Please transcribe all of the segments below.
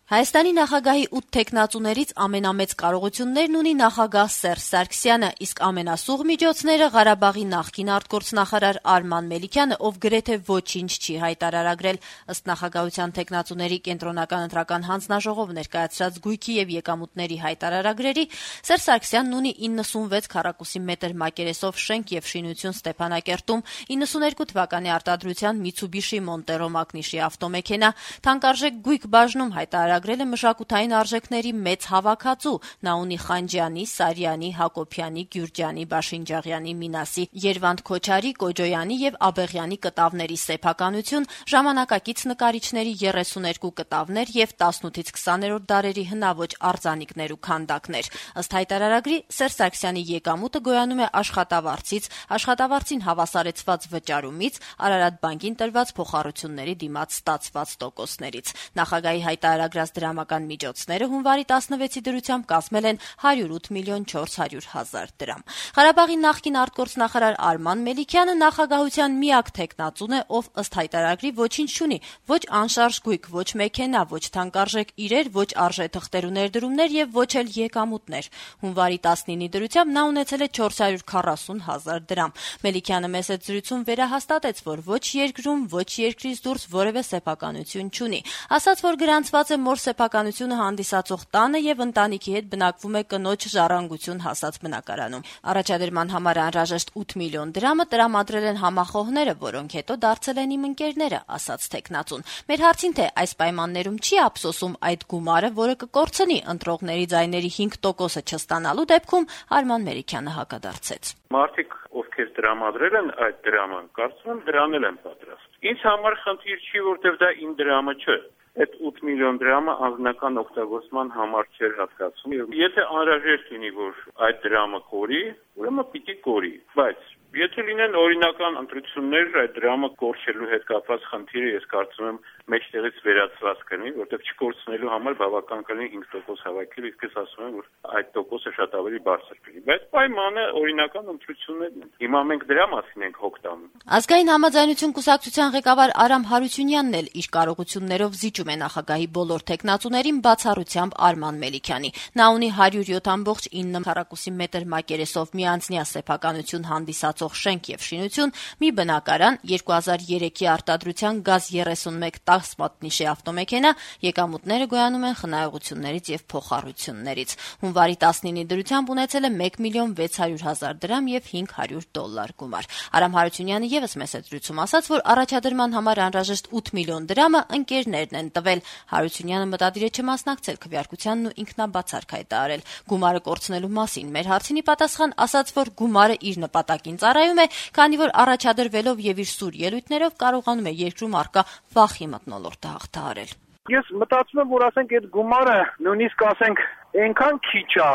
Հայաստանի նախագահի 8 թեկնածուներից ամենամեծ կարողություններն ունի նախագահ Սերժ Սարգսյանը, իսկ ամենասուղ միջոցները Ղարաբաղի նախկին արտգործնախարար Արման Մելիքյանը, ով գրեթե ոչինչ չի հայտարարագրել։ Ըստ նախագահության թեկնածուների կենտրոնական ընտրական հանձնաժողով ներկայացրած գույքի եւ եկամուտների հայտարարագրերի Սերժ Սարգսյանն ունի 96 քառակուսի մետր մակերեսով շենք եւ շինություն Ստեփանակերտում, 92 թվականի արտադրության Mitsubishi Montero մակնիշի ավտոմեքենա, թանկարժեք գույք բաժնում հայտարարագրել է մշակութային արժեքների մեծ հավաքածու։ Նա ունի Խանջյանի, Սարյանի, Հակոբյանի, Գյուրջյանի, Բաշինջաղյանի, Մինասի, Երվանդ Քոչարի, Կոջոյանի եւ Աբեղյանի կտավների սեփականություն, ժամանակակից նկարիչների 32 կտավներ եւ 18-ից 20-րդ դարերի հնաոճ արձանիկներ ու քանդակներ։ Ըստ հայտարարագրի Սերժ Սարգսյանի եկամուտը գոյանում է աշխատավարձից, աշխատավարձին հավասարեցված վճարումից, Արարատ բանկին տրված փոխառությունների դիմաց ստացված տոկոսներից։ Նախագահի հայտարարագրած դրամական միջոցները հունվարի 16-ի դրությամբ կազմել են 108 միլիոն 400 հազար դրամ։ Ղարաբաղի նախկին արտգործնախարար Արման Մելիքյանը նախագահության միակ թեկնածուն է, ով ըստ հայտարարագրի ոչինչ չունի, ոչ անշարժ գույք, ոչ մեքենա, ոչ թանկարժեք իրեր, ոչ արժեթղթեր ու ներդրումներ եւ ոչ էլ եկամուտներ։ Հունվարի 19-ի դրությամբ նա ունեցել է 440 հազար դրամ։ Մելիքյանը մեծ զրույցում վերահաստատեց, որ ոչ երկրում, ոչ երկրից դուրս որևէ սեփականություն չունի։ Ասաց, որ գրանցված է մոր սեփականությունը հանդիսացող տանը եւ ընտանիքի հետ բնակվում է կնոջ ժառանգություն հասած բնակարանում։ Առաջադրման համար անհրաժեշտ 8 միլիոն դրամը տրամադրել են համախոհները, որոնք հետո դարձել են իմ ընկերները, ասաց թեկնածուն։ Մեր հարցին, թե այս պայմաններում չի ափսոսում այդ գումարը, որը կկորցնի ընտրողների ձայների 5%-ը չստանալու դեպքում, Արման Մելիքյանը հակադարձեց։ Մարդիկ, ովքեր տրամադրել են այդ դրամը, կարծում եմ դրանել են պատրաստ։ Ինձ համար խնդիր չի, որտեղ դա իմ դրամը չէ։ Այդ 8 միլիոն դրամը անձնական օգտագործման համար չէր հատկացում։ Եթե անհրաժեշտ լինի, որ այդ դրամը կորի, ուրեմն պիտի կորի, բայց եթե լինեն օրինական ընտրություններ, այդ դրամը կորչելու հետ կապված խնդիրը ես կարծում եմ մեջտեղից վերացված կլինի, որտեղ չկորցնելու համար բավական կլինի 5% հավաքել, իսկ ես ասում եմ, որ այդ տոկոսը շատ ավելի բարձր կլինի։ Բայց պայմանը օրինական ընտրություններն են։ Հիմա մենք դրա մասին ենք հոգ տանում։ Ազգային համաձայնություն կուսակցության ղեկավար Արամ Հարությունյանն էլ իր կարողություններով զիջում է նախագահի բոլոր թեկնածուներին, բացառությամբ Արման Մելիքյանի։ Նա ունի 107.9 քառակուսի մետր մակերեսով միանձնյա սեփականություն հանդիսացող շենք եւ շինություն, մի բնակարան, 2003-ի արտադրության գազ 31 10 մատնիշի ավտոմեքենա, եկամուտները գոյանում են խնայողություններից եւ փոխառություններից։ Հունվարի 19-ի դրությամբ ունեցել է 1 միլիոն 600 հազար դրամ եւ $500 գումար։ Արամ Հարությունյանը եւս մեծ զրույցում ասաց, որ առաջադրման համար անհրաժեշտ 8 միլիոն դրամը ընկերներն են տվել։ Հարությունյանը մտադիր է չմասնակցել քվեարկությանն ու ինքնաբացարք հայտարարել։ Գումարը կորցնելու մասին մեր հարցինի պատասխան ասաց, որ գումարը իր նպատակին ծառայում է, քանի որ առաջադրվելով եւ իր սուր ելույթներով կարողանում է երկրում առկա վախի մթնոլորտը հաղթահարել։ Ես մտածում եմ, որ ասենք այդ գումարը նույնիսկ ասենք այնքան քիչ է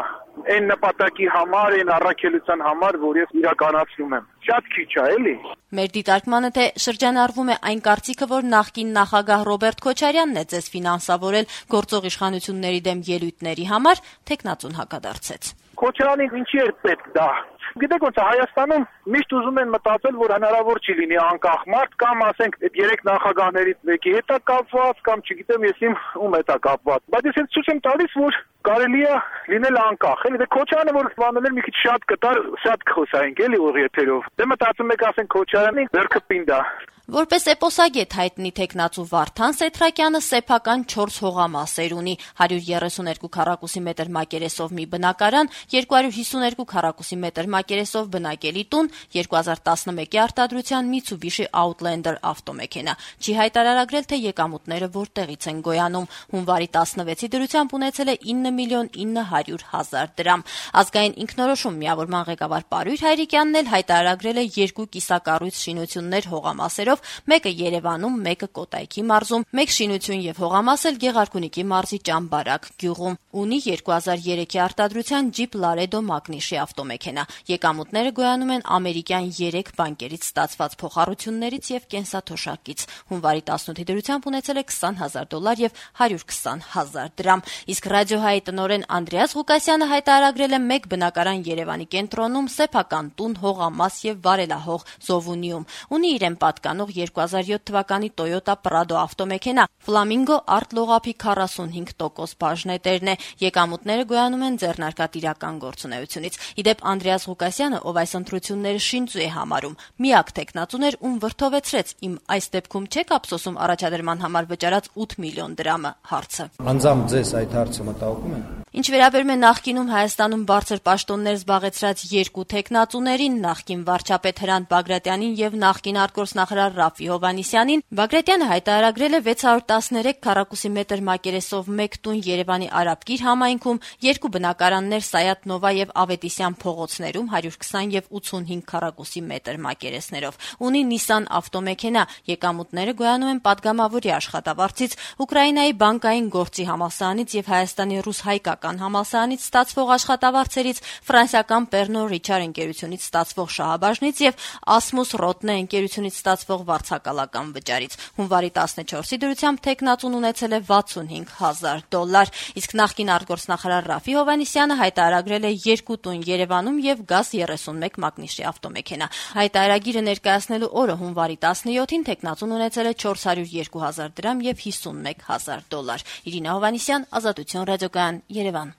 այն նպատակի համար, այն առաքելության համար, որ ես իրականացնում եմ։ Շատ քիչ է, էլի։ Մեր դիտարկմանը թե շրջանառվում է այն կարծիքը, որ նախկին նախագահ Ռոբերտ Քոչարյանն է ձեզ ֆինանսավորել գործող իշխանությունների դեմ ելույթների համար, թեկնածուն հակադարձեց։ Քոչարանին ինչի էր պետք դա։ Գիտեք ոնց է Հայաստանում միշտ ուզում են մտածել, որ հնարավոր չի լինի անկախ մարդ կամ ասենք այդ երեք նախագահներից մեկի հետ է կապված կամ չգիտեմ ես ում հետ է կապված։ Բայց ես ցույց եմ տալիս, որ կարելի է լինել անկախ։ Էլի դե Քոչարյանը որ բանել մի քիչ շատ կտար, շատ կխոսայինք էլի ուղի եթերով։ Դե մտածում եք ասենք Քոչարյանի ձեռքը պինդ է։ Որպես էպոսագետ հայտնի թեկնածու Վարդան Սեթրակյանը սեփական 4 հողամասեր ունի՝ 132 քառակուսի մետր մակերեսով մի բնակարան, 252 քառակուսի մետր մակերեսով բնակելի տուն, 2011-ի արտադրության Mitsubishi Outlander ավտոմեքենա։ Չի հայտարարագրել, թե եկամուտները որտեղից են գոյանում։ Հունվարի 16-ի դրությամբ ունեցել է 9 միլիոն 900 հազար դրամ։ Ազգային ինքնորոշում միավորման ղեկավար Պարույր Հայրիկյանն էլ հայտարարագրել է 2 կիսակառույց շինություններ հողամասերով, մեկը Երևանում, մեկը Կոտայքի մարզում, մեկ շինություն եւ հողամաս էլ Գեղարքունիքի մարզի Ճամբարակ գյուղում։ Ունի 2003-ի արտադրության Jeep Laredo մակնիշի ավտոմեքենա։ Եկամուտները գոյանում են ամերիկյան 3 բանկերից ստացված փոխառություններից եւ կենսաթոշակից։ Հունվարի 18-ի դրությամբ ունեցել է $20,000 եւ 120,000 դրամ։ Իսկ Ռադիոհայի տնօրեն Անդրեաս Ղուկասյանը հայտարարել է 1 բնակարան Երևանի կենտրոնում, սեփական տուն, հողամաս եւ վարելահող Զովունիում։ Ունի իրեն պատկանող 2007 թվականի Toyota Prado ավտոմեքենա, Flamingo արտլողափի 45% բաժնետերն է։ Եկամուտները գոյանում են ձեռնարկատիրական գործունեությունից։ Իդեպ Անդրեաս Ղուկասյանը, ով այս ընտրությունները շինծու է համարում, միակ տեխնատուն էր, ում վրդովեցրեց «Իմ այս դեպքում չեք ափսոսում առաջադրման համար վճարած 8 միլիոն դրամը» հարցը։ Անձամբ ձեզ այդ հարցը մտահոգում է։ Ինչ վերաբերում է նախկինում Հայաստանում բարձր պաշտոններ զբաղեցրած 2 տեխնատուներին, նախկին վարչապետ Հրանտ Բագրատյանին եւ նախկին արտգործնախարար Ռաֆի Հովհաննիսյանին, Բագրատյանը հայտարարել է 613 քառակուսի մետր մակերեսով 1 տուն Երևանի Արաբկիր համայնքում, 2 բնակարաններ Սայաթ Նովա եւ Ավետիսյան փողոցներում 120 եւ 85 քառակուսի մետր մակերեսներով։ Ունի Nissan ավտոմեքենա, եկամուտները գոյանում են падգամավորի աշխատավարձից, Ուկրաինայի բանկային գործի համալսարանից եւ Հայաստանի ռուս-հայկական համալսարանից ստացվող աշխատավարձերից, ֆրանսիական Pernod Ricard ընկերությունից ստացվող շահաբաժնից եւ Asmus Rottne ընկերությունից ստացվող վարձակալական վճարից։ Հունվարի 14-ի դրությամբ տեխնատուն ունեցել է $65,000, իսկ նախկին արտգործնախարար Ռաֆի Հովհաննիսյանը հայտարարել է 2 տուն Երևանում եւ գազ 31 մագնիշի ավտոմեքենա։ Հայտարարագիրը ներկայացնելու օրը հունվարի 17-ին տեխնատուն ունեցել է $402,000 եւ $51,000։ Իրինա Հովհաննիսյան, Ազատություն ռադիոկայան, Երևան։